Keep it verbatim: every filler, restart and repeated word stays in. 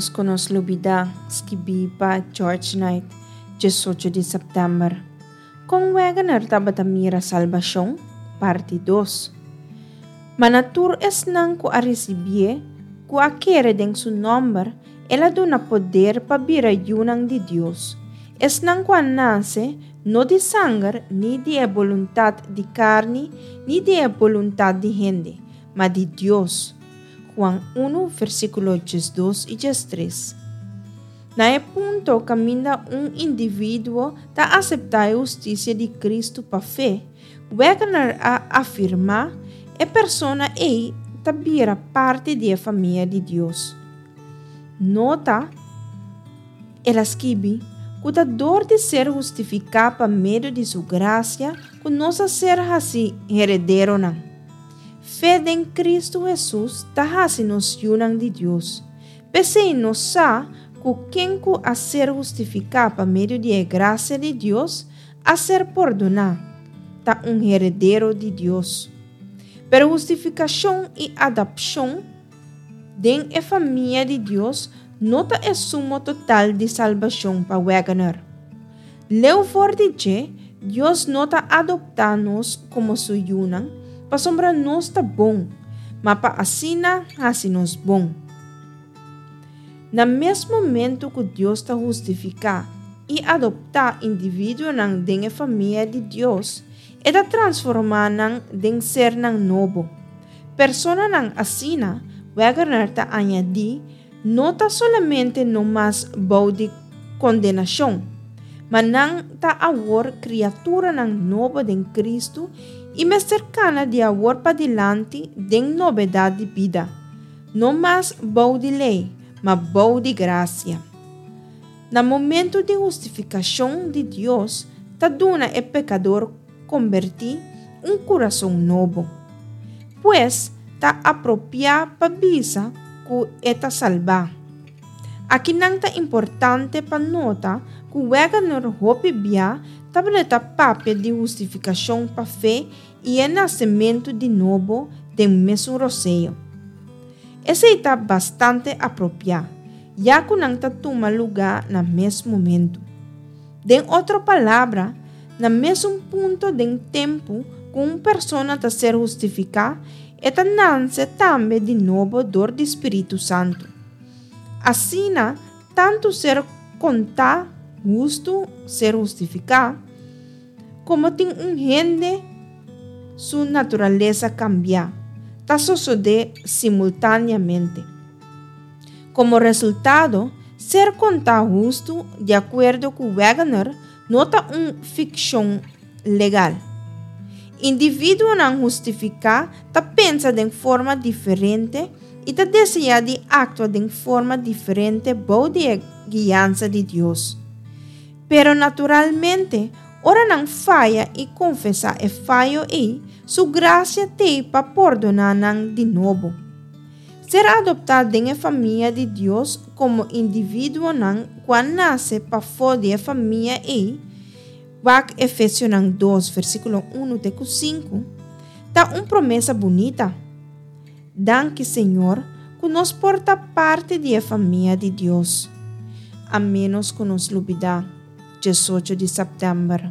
Ménos ku nos lubidá, skibí pa George Knight, diesocho di sèptèmber. Kon Waggoner tabata mira salbashon, parti dos. Ma na tur esnan ku a risibié, ku a kere den su nòmber, el a duna poder pa bira yunan di Dios. Esnan ku a nase, no di sanger, ni di e boluntat di karni, ni di e boluntat di hende, ma di Dios. Juan un, versíkulo diesdos i diestres. Na e punto kaminda un individuo ta aseptá e hustisia di Kristu pa fe, Waggoner a afirmá, e persona ei ta bira parti di e famia di Dios. Nota, el a skibi, ku ta dor di ser hustifiká pa medio di su grasia ku nos a ser hasí herederonan. Fe den Kristu Hesus ta hasi nos yunan di Dios. P'esei nos sa ku ken ku a ser hustifiká pa medio di e grasia di Dios a ser pordoná, ta un heredero di Dios. Pero hustifikashon i adopshon den e famia di Dios no ta e sumo total di salbashon pa Waggoner. Leu for di dje, Dios no ta adoptá nos komo su yunan, pasobra nos ta bon, ma pa asina hasi nos bon. Na mes momento ku Dios ta hustifiká i adoptá individuonan den e famia di Dios, e ta transformá nan den sernan nobo. Personanan asina, Waggoner ta añadí, no ta solamente no mas bou di kondenashon, ma nan ta awor kriaturanan nobo den Kristu i mester kana di awor padilanti den novedat di bida, no mas bou di lei, ma bou di grasia. Na momento di hustifikashon di Dios, ta duna e pekador kombertí un kurason nobo. Pues, ta apropiá pa bisa ku e ta salbá. Akinan ta importante pa nota ku Waggoner hopi bia tabata papia di hustifikashon pa fe i e nasementu di nobo den mesun rosea. Esei ta bastante apropiá, ya ku nan ta tuma lugá na mes momento. Den otro palabra, na mesun punto den tempu ku un persona ta ser hustifiká, e ta nase tambe di nobo dor di Spiritu Santu. Asina, tantu ser kontá hustu, ser hustifiká, komo tin un hende su naturalesa kambia, ta sosodé simultáneamente. Komo resultado, ser kontá hustu, di akuerdo ku Waggoner, no ta un fikshon legal. Individuonan hustifiká ta pensa den forma diferente i ta deseá di aktua den forma diferente bou di e guiansa di Dios. Pero naturalmente, ora nan faya i konfesá e fayo ei, su grasia t'ei pa pordoná nan di nobo. Ser adoptá den e famia di Dios komo individuonan ku a nase pafó di e famia ei, wak Efesionan dos versíkulo un te ku sinku, ta un promesa bunita. Danki Señor ku nos por ta parti di e famia di Dios. A ménos ku nos lubidá, diesocho di sèptèmber.